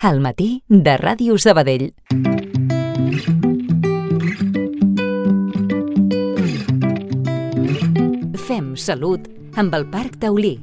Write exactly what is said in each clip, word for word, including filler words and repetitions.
Al matí de Ràdio Sabadell. Fem salut amb el Parc Taulí.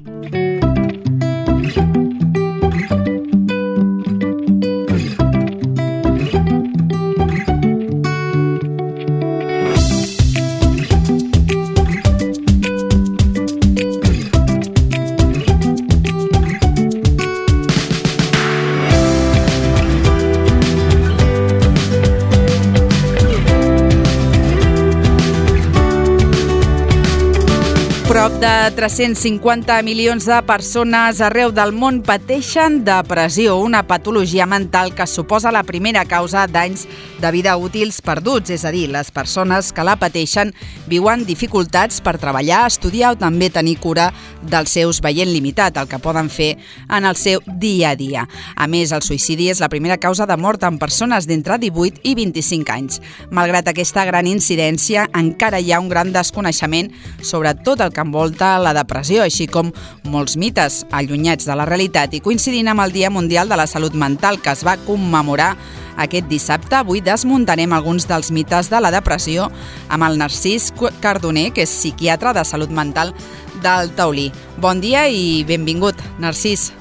Prop de tres-cents cinquanta milions de persones arreu del món pateixen depressió, una patologia mental que suposa la primera causa d'anys de vida útils perduts, és a dir, les persones que la pateixen viuen dificultats per treballar, estudiar o també tenir cura dels seus veient limitat, el que poden fer en el seu dia a dia. A més, el suïcidi és la primera causa de mort en persones d'entre divuit i vint-i-cinc anys. Malgrat aquesta gran incidència, encara hi ha un gran desconeixement sobre tot el que envolta la depressió, així com molts mites allunyats de la realitat, i coincidint amb el Dia Mundial de la Salut Mental que es va commemorar aquest dissabte, avui desmuntarem alguns dels mites de la depressió amb el Narcís Cardoner, que és psiquiatre de salut mental del Taulí. Bon dia i benvingut, Narcís.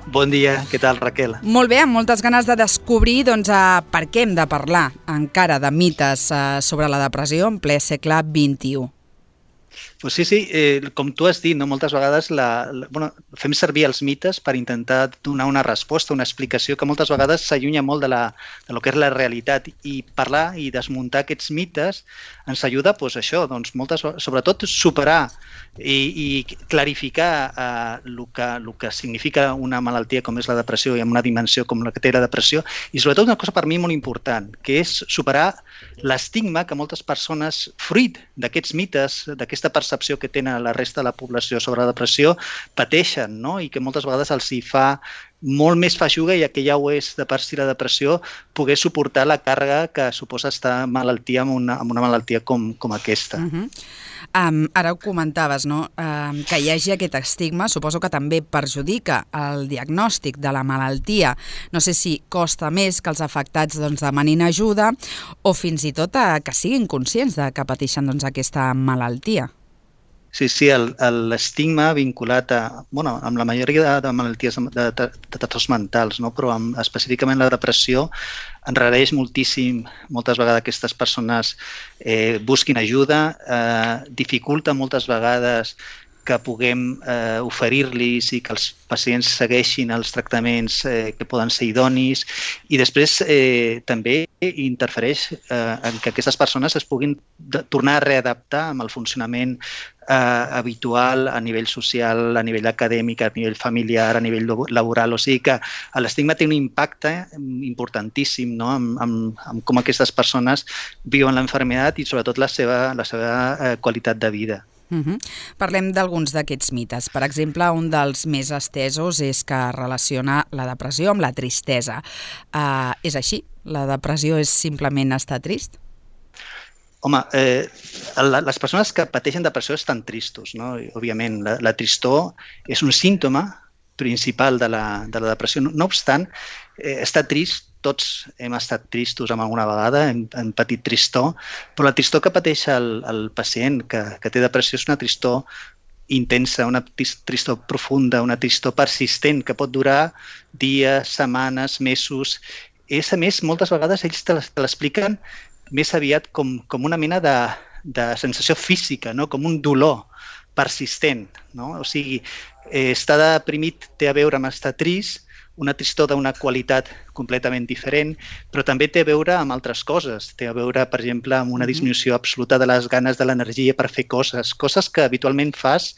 Bon dia, què tal, Raquel? Molt bé, amb moltes ganes de descobrir doncs, per què hem de parlar encara de mites sobre la depressió en ple segle vint-i-u. Pues sí, sí, eh, com tu has dit, no? Moltes vegades la, la, bueno, fem servir els mites per intentar donar una resposta, una explicació que moltes vegades s'allunya molt de, la, de lo que és la realitat, i parlar i desmuntar aquests mites ens ajuda, pues, això, doncs, moltes, sobretot superar i, i clarificar eh, el, que, el que significa una malaltia com és la depressió i amb una dimensió com la que té la depressió, i sobretot una cosa per mi molt important, que és superar l'estigma que moltes persones, fruit d'aquests mites, d'aquesta percepció que tenen la resta de la població sobre la depressió, pateixen, no? I que moltes vegades els hi fa molt més feixuga, ja que ja ho és de per si la depressió, poder suportar la càrrega que suposa estar malaltia amb una, amb una malaltia com, com aquesta. Uh-huh. Um, ara ho comentaves, no? Um, que hi hagi aquest estigma, suposo que també perjudica el diagnòstic de la malaltia. No sé si costa més que els afectats doncs, demanin ajuda o fins i tot a que siguin conscients de que pateixen doncs, aquesta malaltia. Sí, sí, l'estigma vinculat a, bueno, amb la majoria de, de malalties de, de, de trastorns mentals, no? Però amb, específicament la depressió enrareix moltíssim, moltes vegades aquestes persones eh, busquin ajuda, eh, dificulta moltes vegades que puguem eh, oferir-los i que els pacients segueixin els tractaments eh, que poden ser idonis, i després eh, també interfereix eh, en que aquestes persones es puguin de, tornar a readaptar amb el funcionament eh, habitual a nivell social, a nivell acadèmic, a nivell familiar, a nivell laboral. O sigui que l'estigma té un impacte importantíssim, no? amb, amb, amb com aquestes persones viuen l'enfermedad i sobretot la seva, la seva eh, qualitat de vida. Uh-huh. Parlem d'alguns d'aquests mites. Per exemple, un dels més estesos és que relaciona la depressió amb la tristesa. Uh, és així? La depressió és simplement estar trist? Home, eh, les persones que pateixen depressió estan tristos, no? Òbviament, la, la tristor és un símptoma principal de la, de la depressió. No, no obstant, eh, estar trist, tots hem estat tristos amb alguna vegada, hem, hem patit tristor, però la tristor que pateix el, el pacient que, que té depressió és una tristor intensa, una tristor profunda, una tristor persistent que pot durar dies, setmanes, mesos. És, a més, moltes vegades ells te l'expliquen més aviat com, com una mena de, de sensació física, no? Com un dolor persistent, no? O sigui, eh, estar deprimit té a veure amb estar trist, una tristor d'una qualitat completament diferent, però també té a veure amb altres coses. Té a veure, per exemple, amb una disminució absoluta de les ganes, de l'energia per fer coses, coses que habitualment fas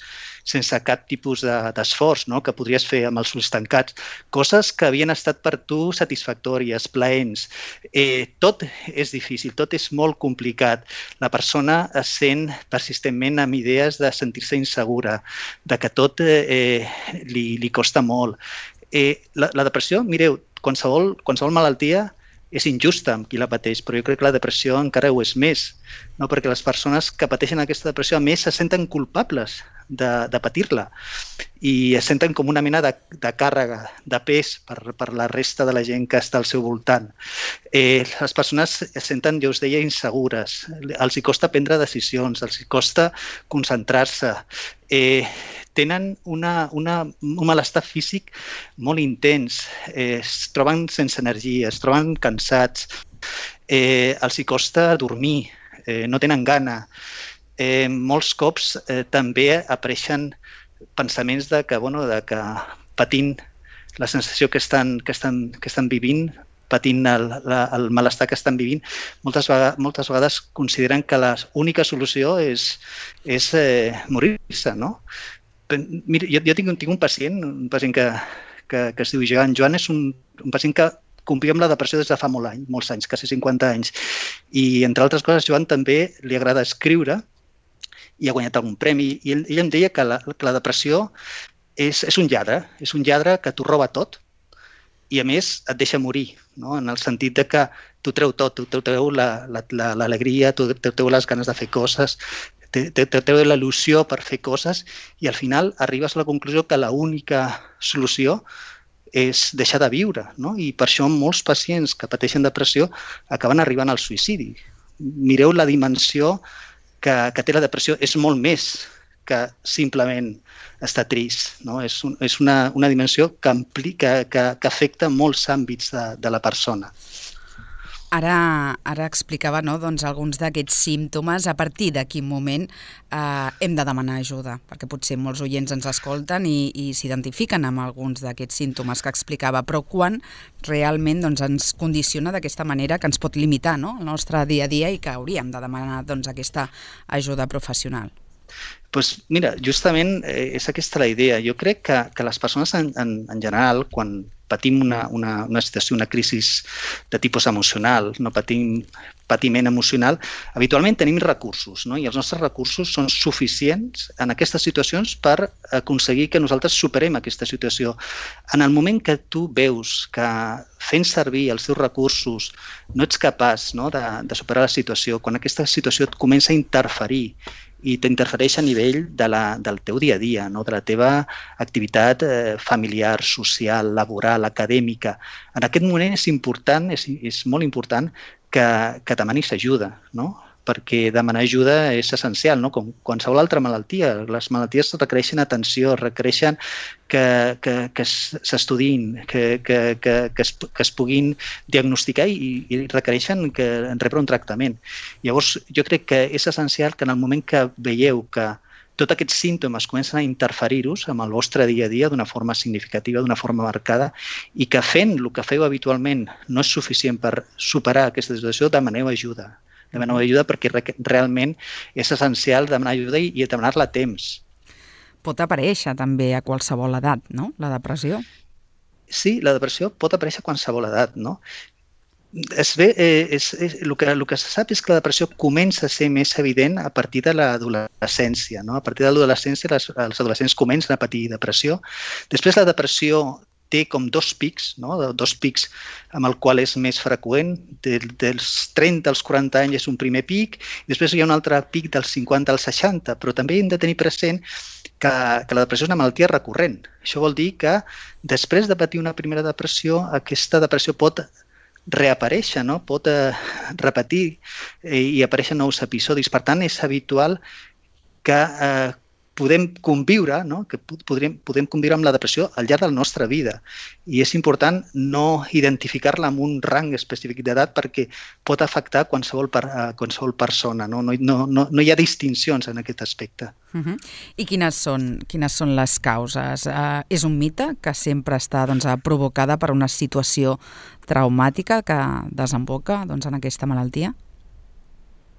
sense cap tipus d'esforç, no? Que podries fer amb els ulls tancats, coses que havien estat per tu satisfactòries, plaents. Eh, tot és difícil, tot és molt complicat. La persona es sent persistentment amb idees de sentir-se insegura, de que tot eh, li, li costa molt. Eh, la, la depressió, mireu, qualsevol, qualsevol malaltia és injusta amb qui la pateix, però jo crec que la depressió encara ho és més, no? Perquè les persones que pateixen aquesta depressió, a més, se senten culpables de, de patir-la i es senten com una mena de, de càrrega, de pes per, per la resta de la gent que està al seu voltant. Eh, les persones es senten, jo us deia, insegures, els hi costa prendre decisions, els hi costa concentrar-se, eh, tenen una, una, un malestar físic molt intens, eh, es troben sense energia, es troben cansats, eh, els hi costa dormir, eh, no tenen gana. Eh, molts cops eh, també apareixen pensaments de que, bueno, de que patint la sensació que estan, que estan, que estan vivint, patint el, la, el malestar que estan vivint, moltes vegades, moltes vegades consideren que l'única solució és, és eh, morir-se, no? Mira, jo, jo tinc, tinc un pacient, un pacient que, que, que es diu Joan. Joan és un, un pacient que conviu amb la depressió des de fa molt anys, molts anys, quasi cinquanta anys. I, entre altres coses, Joan també li agrada escriure i ha guanyat algun premi. I ell, ell em deia que la, que la depressió és, és un lladre, és un lladre que t'ho roba tot i, a més, et deixa morir, no? En el sentit de que t'ho treu tot, t'ho treu l'alegria, t'ho treu les ganes de fer coses, t'ho treu la il·lusió per fer coses i, al final, arribes a la conclusió que l'única solució és deixar de viure, no? I per això molts pacients que pateixen depressió acaben arribant al suïcidi. Mireu la dimensió que, que té la depressió, és molt més que simplement estar trist, no? És, un, és una, una dimensió que, ampli, que, que, que afecta molts àmbits de, de la persona. Ara, ara explicava, no, doncs, alguns d'aquests símptomes, a partir de quin moment eh, hem de demanar ajuda, perquè potser molts oients ens escolten i, i s'identifiquen amb alguns d'aquests símptomes que explicava, però quan realment, doncs, ens condiciona d'aquesta manera que ens pot limitar, no, el nostre dia a dia i que hauríem de demanar, doncs, aquesta ajuda professional. Pues mira, justament eh, és aquesta la idea. Jo crec que, que les persones en, en, en general, quan patim una, una, una situació, una crisi de tipus emocional, no patim patiment emocional, habitualment tenim recursos, no? I els nostres recursos són suficients en aquestes situacions per aconseguir que nosaltres superem aquesta situació. En el moment que tu veus que fent servir els teus recursos no ets capaç, no, de, de superar la situació, quan aquesta situació et comença a interferir i t'interfereix a nivell de la, del teu dia a dia, no? De la teva activitat eh, familiar, social, laboral, acadèmica. En aquest moment és important, és, és molt important que, que demanis ajuda, no? Perquè demanar ajuda és essencial, no? Com qualsevol altra malaltia. Les malalties requereixen atenció, requereixen que, que, que s'estudiïn, que, que, que, que, es, que es puguin diagnosticar i, i requereixen que rebre un tractament. Llavors, jo crec que és essencial que en el moment que veieu que tots aquests símptomes comencen a interferir-vos amb el vostre dia a dia d'una forma significativa, d'una forma marcada, i que fent el que feu habitualment no és suficient per superar aquesta situació, demaneu ajuda. Demaneu ajuda perquè realment és essencial demanar ajuda i, i demanar-la a temps. Pot aparèixer també a qualsevol edat, no?, la depressió? Sí, la depressió pot aparèixer a qualsevol edat, no? Es ve, eh, és, és, el, que, el que se sap és que la depressió comença a ser més evident a partir de l'adolescència, no? A partir de l'adolescència els, els adolescents comencen a patir depressió. Després la depressió té com dos pics, no? Dos pics amb el qual és més freqüent. De, dels trenta als quaranta anys és un primer pic, i després hi ha un altre pic dels cinquanta als seixanta, però també hem de tenir present que, que la depressió és una malaltia recurrent. Això vol dir que després de patir una primera depressió, aquesta depressió pot reaparèixer, no? Pot eh, repetir eh, i aparèixer nous episodis. Per tant, és habitual que eh, podem conviure, no? Que podrem, podem conviure amb la depressió al llarg de la nostra vida. I és important no identificar-la amb un rang específic d'edat perquè pot afectar qualsevol, per, uh, qualsevol persona. No? No, no, no, no hi ha distincions en aquest aspecte. Uh-huh. I quines són, quines són les causes? Uh, és un mite que sempre està, doncs, provocada per una situació traumàtica que desemboca, doncs, en aquesta malaltia?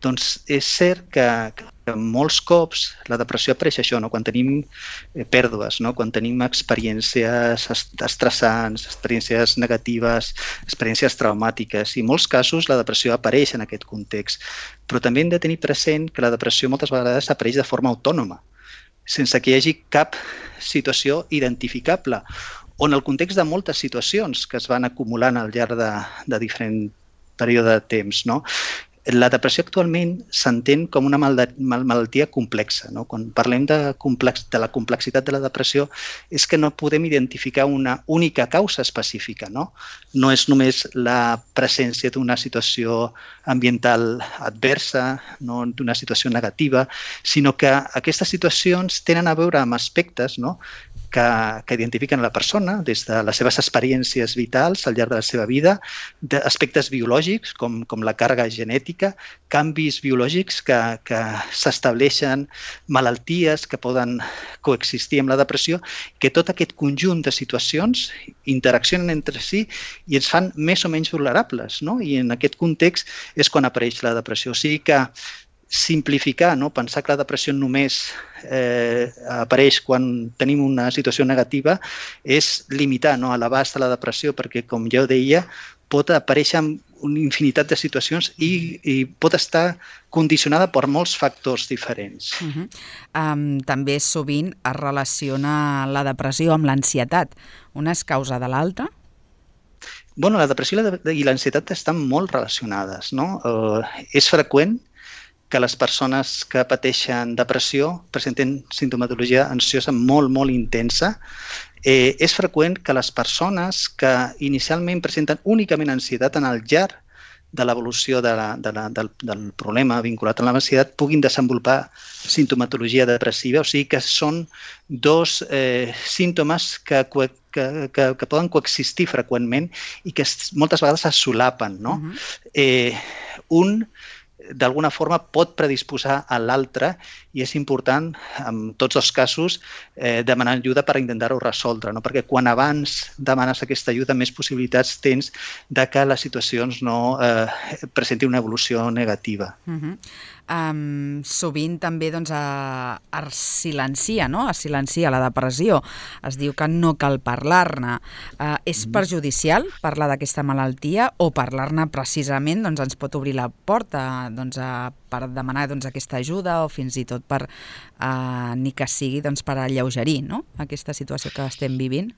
Doncs és cert que, que molts cops la depressió apareix això, no? Quan tenim pèrdues, no? Quan tenim experiències estressants, experiències negatives, experiències traumàtiques. I en molts casos la depressió apareix en aquest context. Però també hem de tenir present que la depressió moltes vegades apareix de forma autònoma, sense que hi hagi cap situació identificable, o en el context de moltes situacions que es van acumulant al llarg de, de diferent període de temps, no? La depressió actualment s'entén com una malaltia complexa. No? Quan parlem de, complex, de la complexitat de la depressió és que no podem identificar una única causa específica. No, no és només la presència d'una situació ambiental adversa, no d'una situació negativa, sinó que aquestes situacions tenen a veure amb aspectes, no? que, que identifiquen la persona des de les seves experiències vitals al llarg de la seva vida, d'aspectes biològics com, com la càrrega genètica, canvis biològics que, que s'estableixen, malalties que poden coexistir amb la depressió, que tot aquest conjunt de situacions interaccionen entre si i ens fan més o menys vulnerables. No? I en aquest context és quan apareix la depressió. O sigui que simplificar, no? Pensar que la depressió només eh, apareix quan tenim una situació negativa és limitar, no? A l'abast de la depressió, perquè, com jo deia, pot aparèixer en una infinitat de situacions i, i pot estar condicionada per molts factors diferents. Uh-huh. um, també sovint es relaciona la depressió amb l'ansietat. Una és causa de l'altra? Bueno, la depressió i l'ansietat estan molt relacionades. No? Uh, és freqüent que les persones que pateixen depressió presenten sintomatologia ansiosa molt, molt intensa. Eh, és freqüent que les persones que inicialment presenten únicament ansietat en el llarg de l'evolució de la, de la, del, del problema vinculat a l'ansietat puguin desenvolupar sintomatologia depressiva, o sigui que són dos eh, símptomes que, que, que, que poden coexistir freqüentment i que moltes vegades es solapen. No? Uh-huh. eh, un d'alguna forma pot predisposar a l'altre i és important, en tots els casos, eh, demanar ajuda per intentar-ho resoldre, no? Perquè quan abans demanes aquesta ajuda, més possibilitats tens de que les situacions no eh, presentin una evolució negativa. Uh-huh. Um, sovint també doncs, a, es silencia, no? Es silencia la depressió. Es diu que no cal parlar-ne. Uh, és perjudicial parlar d'aquesta malaltia o parlar-ne precisament doncs, ens pot obrir la porta doncs, a, per demanar doncs, aquesta ajuda o fins i tot per, uh, ni que sigui doncs, per alleugerir, no? Aquesta situació que estem vivint?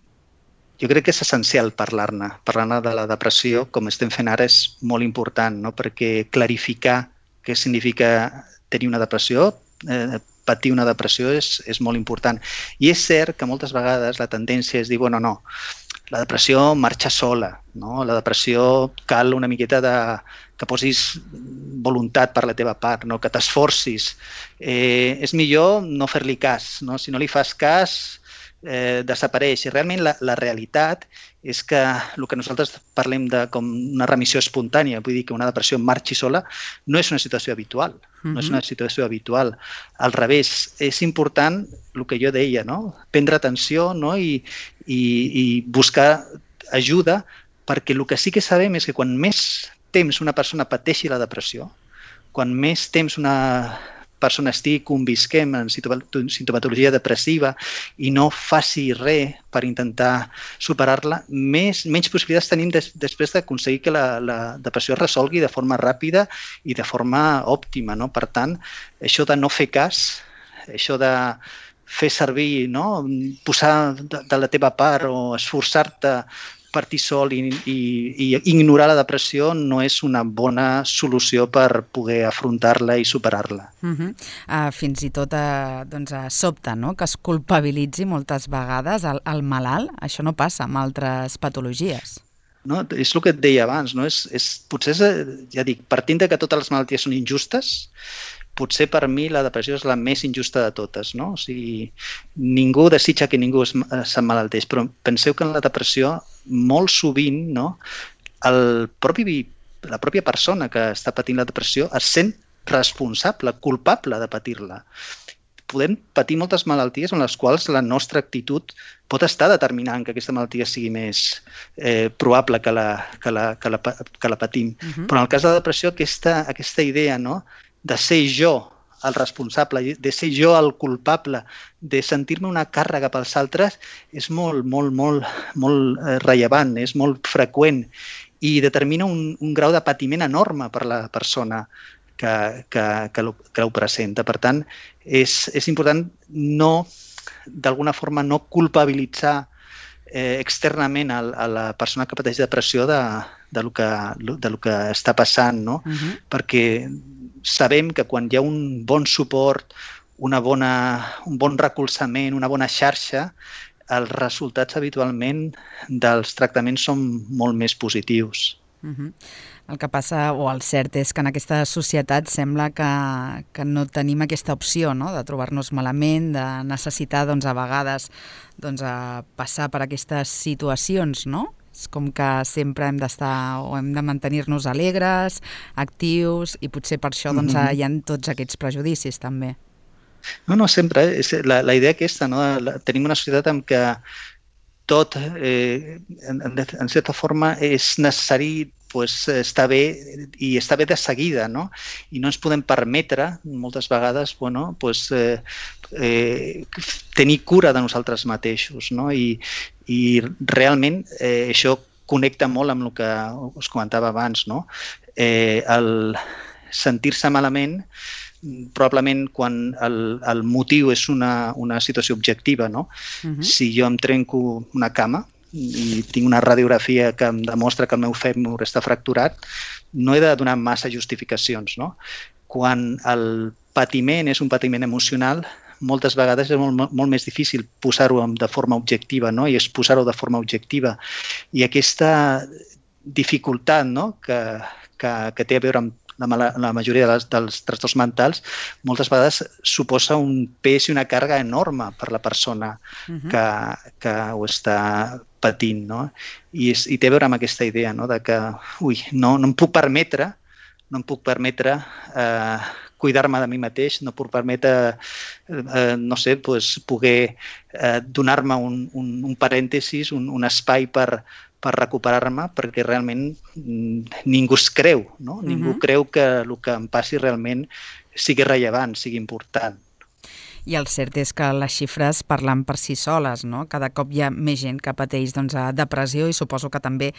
Jo crec que és essencial parlar-ne. Parlar-ne de la depressió, com estem fent ara, és molt important, no? Perquè clarificar què significa tenir una depressió, eh, patir una depressió és, és molt important. I és cert que moltes vegades la tendència és dir, bueno, no, la depressió marxa sola, no? La depressió cal una miqueta de, que posis voluntat per la teva part, no? Que t'esforcis. Eh, és millor no fer-li cas, no? Si no li fas cas, eh, desapareix. I realment la, la realitat és que el que nosaltres parlem de com una remissió espontània, vull dir que una depressió marxi sola, no és una situació habitual. Uh-huh. No és una situació habitual. Al revés, és important el que jo deia, no? Prendre atenció, no? I, i, i buscar ajuda, perquè el que sí que sabem és que quan més temps una persona pateixi la depressió, quan més temps una persona estigui convisquem en sintomatologia depressiva i no faci res per intentar superar-la, més, menys possibilitats tenim des, després d'aconseguir que la, la depressió es resolgui de forma ràpida i de forma òptima. No? Per tant, això de no fer cas, això de fer servir, no? Posar de, de la teva part o esforçar-te partir sol i, i, i ignorar la depressió no és una bona solució per poder afrontar-la i superar-la. Uh-huh. uh, fins i tot uh, doncs, uh, sobta, no? Que es culpabilitzi moltes vegades el, el malalt. Això no passa amb altres patologies. No, és el que et deia abans. No? És, és, potser, és, ja dic, partint de que totes les malalties són injustes, potser per mi la depressió és la més injusta de totes. No? O sigui, ningú desitja que ningú s'emmalalteix, però penseu que en la depressió molt sovint, no, el propi, la pròpia persona que està patint la depressió es sent responsable, culpable de patir-la. Podem patir moltes malalties en les quals la nostra actitud pot estar determinant que aquesta malaltia sigui més eh, probable que la, que la, que la, que la patim. Uh-huh. Però en el cas de la depressió, aquesta, aquesta idea, no, de ser jo el responsable, de ser jo el culpable, de sentir-me una càrrega pels altres, és molt, molt, molt, molt rellevant, és molt freqüent i determina un, un grau de patiment enorme per la persona que, que, que, lo, que ho presenta. Per tant, és, és important no, d'alguna forma, no culpabilitzar eh, externament a, a la persona que pateix depressió de, de lo que, de lo que està passant, no? Uh-huh. Perquè sabem que quan hi ha un bon suport, una bona, un bon recolzament, una bona xarxa, els resultats habitualment dels tractaments són molt més positius. Uh-huh. El que passa, o el cert, és que en aquesta societat sembla que, que no tenim aquesta opció, no?, de trobar-nos malament, de necessitar, doncs, a vegades doncs, a passar per aquestes situacions, no? És com que sempre hem d'estar o hem de mantenir-nos alegres, actius, i potser per això doncs, mm-hmm. hi ha tots aquests prejudicis també. No, no, sempre. És la, la idea aquesta, no? La, tenim una societat en què tot, eh, en, en certa forma, és necessari pues, estar bé i estar bé de seguida, no? I no ens podem permetre, moltes vegades, bueno, pues, eh, eh, tenir cura de nosaltres mateixos, no? I, i realment eh, això connecta molt amb el que us comentava abans, no? Eh, el sentir-se malament, probablement quan el, el motiu és una, una situació objectiva, no? Uh-huh. Si jo em trenco una cama i tinc una radiografia que em demostra que el meu fèmur està fracturat, no he de donar massa justificacions, no? Quan el patiment és un patiment emocional, moltes vegades és molt, molt més difícil posar-ho de forma objectiva, no? I exposar-ho de forma objectiva. I aquesta dificultat, no?, que, que, que té a veure amb La, la majoria dels, dels trastorns mentals moltes vegades suposa un pes i una càrrega enorme per la persona uh-huh. que, que ho està patint, no? I, és, i té a veure amb aquesta idea, no?, de que ui, no, no em puc permetre no em puc permetre eh, cuidar-me de mi mateix, no puc permetre eh, no sé, pues, poder eh, donar-me un, un, un parèntesis, un, un espai per per recuperar-me, perquè realment ningú es creu, no? Uh-huh. Ningú creu que el que em passi realment sigui rellevant, sigui important. I el cert és que les xifres parlen per si soles, no? Cada cop hi ha més gent que pateix doncs, depressió i suposo que també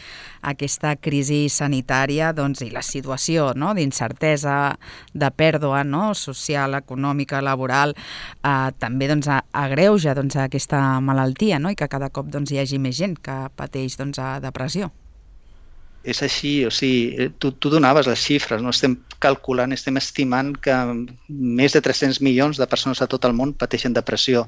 aquesta crisi sanitària doncs, i la situació, no?, d'incertesa, de pèrdua, no?, social, econòmica, laboral, eh, també doncs, agreuja doncs, aquesta malaltia, no?, i que cada cop doncs, hi hagi més gent que pateix doncs, depressió. És així, o sigui, tu, tu donaves les xifres, no? Estem calculant, estem estimant que més de tres-cents milions de persones a tot el món pateixen depressió.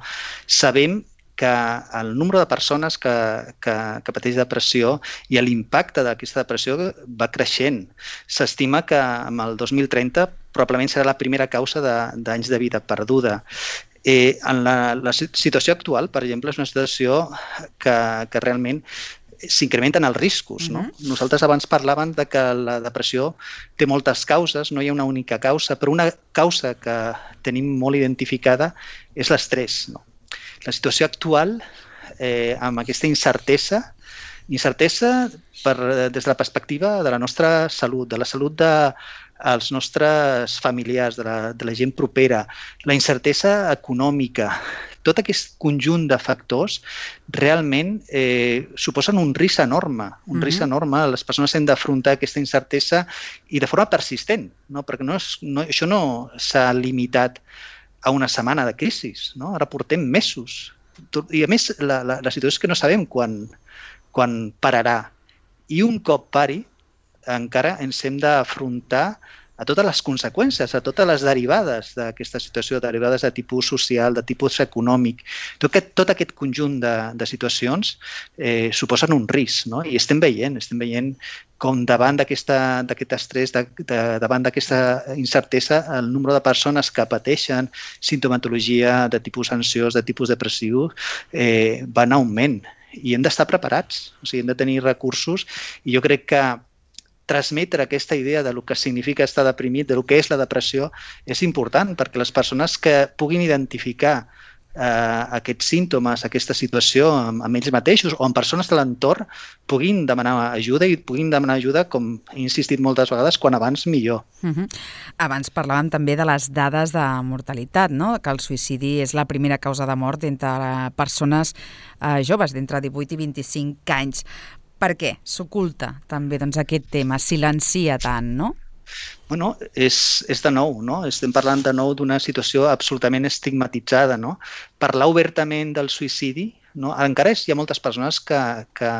Sabem que el nombre de persones que, que, que pateix depressió i l'impacte d'aquesta depressió va creixent. S'estima que amb el dos mil trenta probablement serà la primera causa d'anys de, de vida perduda. Eh, en la, la situació actual, per exemple, és una situació que, que realment s'incrementen els riscos, no? Uh-huh. Nosaltres abans parlàvem de que la depressió té moltes causes, no hi ha una única causa, però una causa que tenim molt identificada és l'estrès, no? La situació actual, eh, amb aquesta incertesa, incertesa per, des de la perspectiva de la nostra salut, de la salut de els nostres familiars, de la, de la gent propera, la incertesa econòmica, tot aquest conjunt de factors realment eh, suposen un risc enorme, un mm-hmm. risc enorme. Les persones han d'afrontar aquesta incertesa i de forma persistent, no? Perquè no és, no, això no s'ha limitat a una setmana de crisi, no? Ara portem mesos. I a més, la, la, la situació és que no sabem quan, quan pararà. I un cop pari, encara ens hem d'afrontar a totes les conseqüències, a totes les derivades d'aquesta situació, derivades de tipus social, de tipus econòmic. Tot aquest, tot aquest conjunt de, de situacions eh, suposen un risc, no? I estem veient, estem veient com davant d'aquest estrès, de, de, davant d'aquesta incertesa, el nombre de persones que pateixen simptomatologia de tipus ansiós, de tipus depressiu, eh, va en augment. I hem d'estar preparats, o sigui, hem de tenir recursos, i jo crec que transmetre aquesta idea de lo que significa estar deprimit, de lo que és la depressió, és important perquè les persones que puguin identificar eh, aquests símptomes, aquesta situació amb, amb ells mateixos o amb persones de l'entorn puguin demanar ajuda i puguin demanar ajuda, com he insistit moltes vegades, quan abans millor. Uh-huh. Abans parlàvem també de les dades de mortalitat, no? Que el suïcidi és la primera causa de mort entre persones eh, joves d'entre divuit i vint-i-cinc anys. Per què s'oculta també doncs, aquest tema, silencia tant, no? Bueno, és, és de nou, no? Estem parlant de nou d'una situació absolutament estigmatitzada, no? Parlar obertament del suïcidi, no? Encara hi ha moltes persones que, que,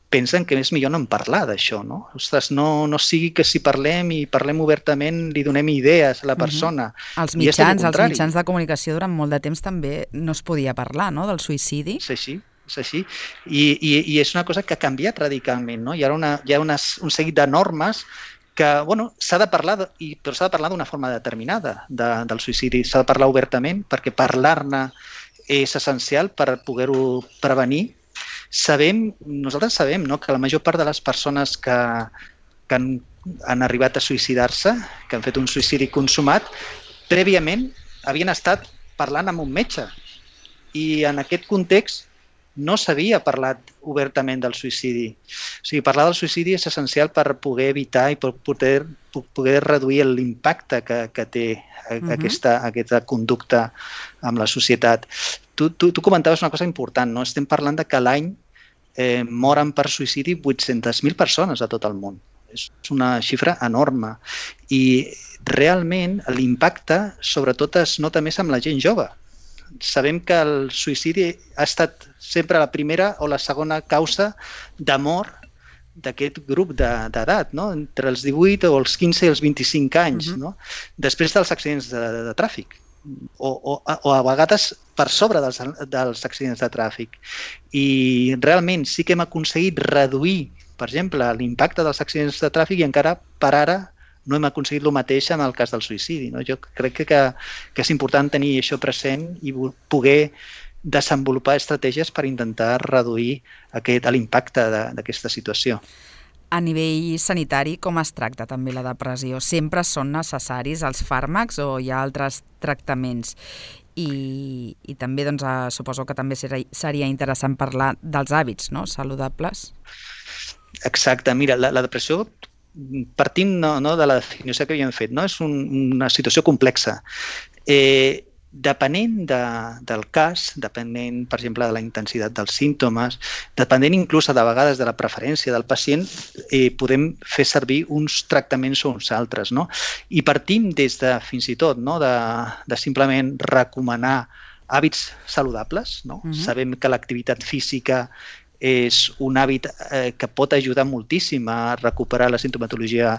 pensen que és millor no en parlar d'això, no? Ostres, no, no sigui que si parlem i parlem obertament li donem idees a la persona. Uh-huh. Els mitjans, els mitjans de comunicacació durant molt de temps també no es podia parlar, no?, del suïcidi. És així, és així. I, i, i és una cosa que ha canviat radicalment, no? Hi ha, una, hi ha unes, un seguit de normes que, bueno, s'ha de parlar, i, però s'ha de parlar d'una forma determinada de, del suïcidi. S'ha de parlar obertament perquè parlar-ne és essencial per poder-ho prevenir. Sabem, nosaltres sabem, no?, que la major part de les persones que, que han, han arribat a suïcidar-se, que han fet un suïcidi consumat, prèviament havien estat parlant amb un metge. I en aquest context no s'havia parlat obertament del suïcidi. O sigui, parlar del suïcidi és essencial per poder evitar i per poder, poder reduir l'impacte que, que té uh-huh. aquesta, aquesta conducta amb la societat. Tu, tu, tu comentaves una cosa important, no? Estem parlant de que l'any eh, moren per suïcidi vuit-centes mil persones a tot el món. És una xifra enorme. I realment l'impacte sobretot es nota més amb la gent jove. Sabem que el suïcidi ha estat sempre la primera o la segona causa de mort d'aquest grup d'edat, no? Entre els divuit o els quinze i els vint-i-cinc anys, uh-huh. no? Després dels accidents de, de, de tràfic. O, o, o a vegades per sobre dels, dels accidents de tràfic. I realment sí que hem aconseguit reduir, per exemple, l'impacte dels accidents de tràfic i encara per ara no hem aconseguit el mateix en el cas del suïcidi. No? Jo crec que, que és important tenir això present i poder desenvolupar estratègies per intentar reduir aquest, l'impacte d'aquesta situació. A nivell sanitari, com es tracta també la depressió? Sempre són necessaris els fàrmacs o hi ha altres tractaments? I, i també doncs, suposo que també seria interessant parlar dels hàbits, no?, saludables. Exacte. Mira, la, la depressió, partint no, no, de la definició que havíem fet, no? És un, una situació complexa. Eh, Depenent de, del cas, depenent, per exemple, de la intensitat dels símptomes, depenent inclús de vegades de la preferència del pacient, eh, podem fer servir uns tractaments o uns altres, no? I partim des de, fins i tot, no? de, de simplement recomanar hàbits saludables, no? Uh-huh. Sabem que l'activitat física és un hàbit eh, que pot ajudar moltíssim a recuperar la sintomatologia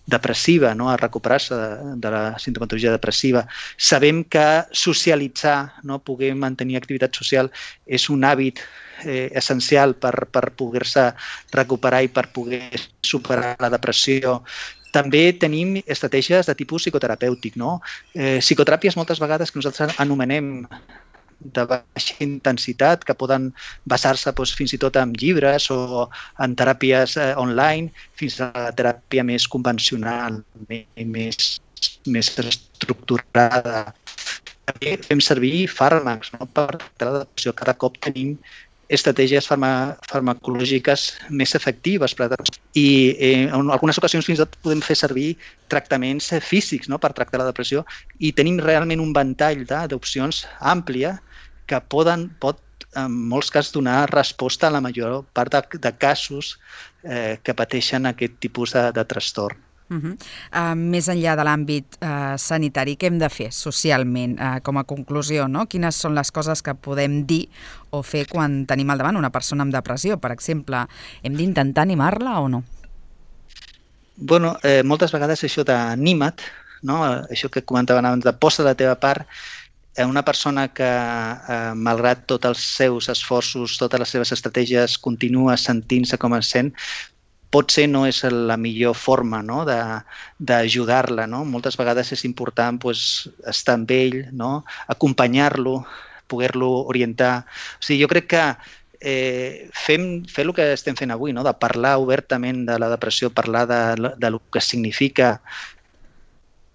depressiva, no? A recuperar-se de, de la sintomatologia depressiva. Sabem que socialitzar, no? Poder mantenir activitat social és un hàbit eh, essencial per, per poder-se recuperar i per poder superar la depressió. També tenim estratègies de tipus psicoterapèutic, no? Eh, psicoteràpies moltes vegades que nosaltres anomenem de baixa intensitat, que poden basar-se doncs, fins i tot en llibres o en teràpies eh, online, fins a la teràpia més convencional, més, més estructurada. També fem servir fàrmacs, no? Per la depressió. Cada cop tenim estratègies farma, farmacològiques més efectives. I eh, en algunes ocasions fins i tot podem fer servir tractaments físics, no? Per tractar la depressió, i tenim realment un ventall d'opcions àmplia que poden, pot en molts casos donar resposta a la major part de, de casos eh, que pateixen aquest tipus de, de trastorn. Uh-huh. Uh, més enllà de l'àmbit uh, sanitari, què hem de fer socialment uh, com a conclusió, no? Quines són les coses que podem dir o fer quan tenim al davant una persona amb depressió, per exemple? Hem d'intentar animar-la o no? Bueno, eh, moltes vegades això d'anima't, no? Això que comentaven abans, de posa la teva part, eh, una persona que, eh, malgrat tots els seus esforços, totes les seves estratègies, continua sentint-se com es sent, potser no és la millor forma, no? d'ajudar-la. No? Moltes vegades és important pues, estar amb ell, no? Acompanyar-lo, poder-lo orientar. O sigui, jo crec que eh, fem, fer el que estem fent avui, no? De parlar obertament de la depressió, parlar de, de lo que significa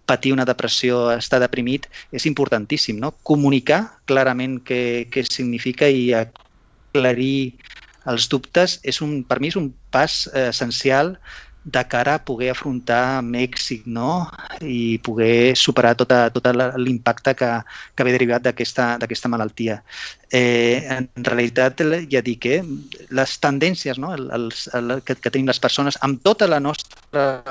patir una depressió, estar deprimit, és importantíssim. No? Comunicar clarament què, què significa i aclarir els dubtes és un, per mi és un pas eh, essencial de cara a poder afrontar amb èxit, no? I poder superar tot, tot l'impacte que, que ve derivat d'aquesta malaltia. Eh, en realitat, ja dic, eh, les tendències, no? els, el, que, que tenim les persones amb tota la nostra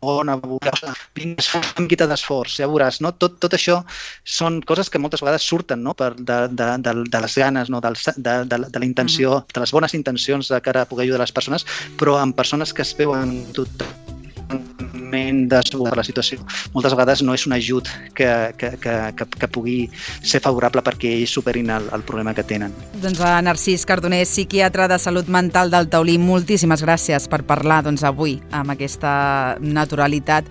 bona, vinga, fem una miqueta d'esforç, ja veuràs, no? Tot, tot això són coses que moltes vegades surten, no? Per de, de, de, de les ganes, no? Del, de, de, de la intenció, de les bones intencions de cara a poder ajudar les persones, però amb persones que es veuen totalment decebudes per la situació. Moltes vegades no és un ajut que, que, que, que, que pugui ser favorable perquè ells superin el, el problema que tenen. Doncs a Narcís Cardoner, psiquiatre de salut mental del Taulí, moltíssimes gràcies per parlar doncs, avui amb aquesta naturalitat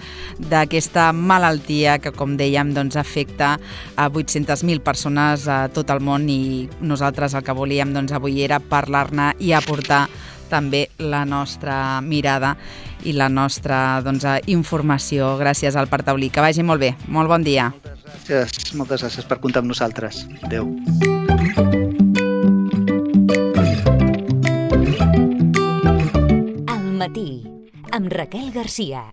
d'aquesta malaltia que, com dèiem, doncs, afecta a vuit-centes mil persones a tot el món i nosaltres el que volíem doncs, avui era parlar-ne i aportar també la nostra mirada i la nostra doncs, informació gràcies al Parc Taulí. Que vagi molt bé. Molt bon dia. Moltes gràcies, moltes gràcies per comptar amb nosaltres. Adéu. Al matí, amb Raquel Garcia.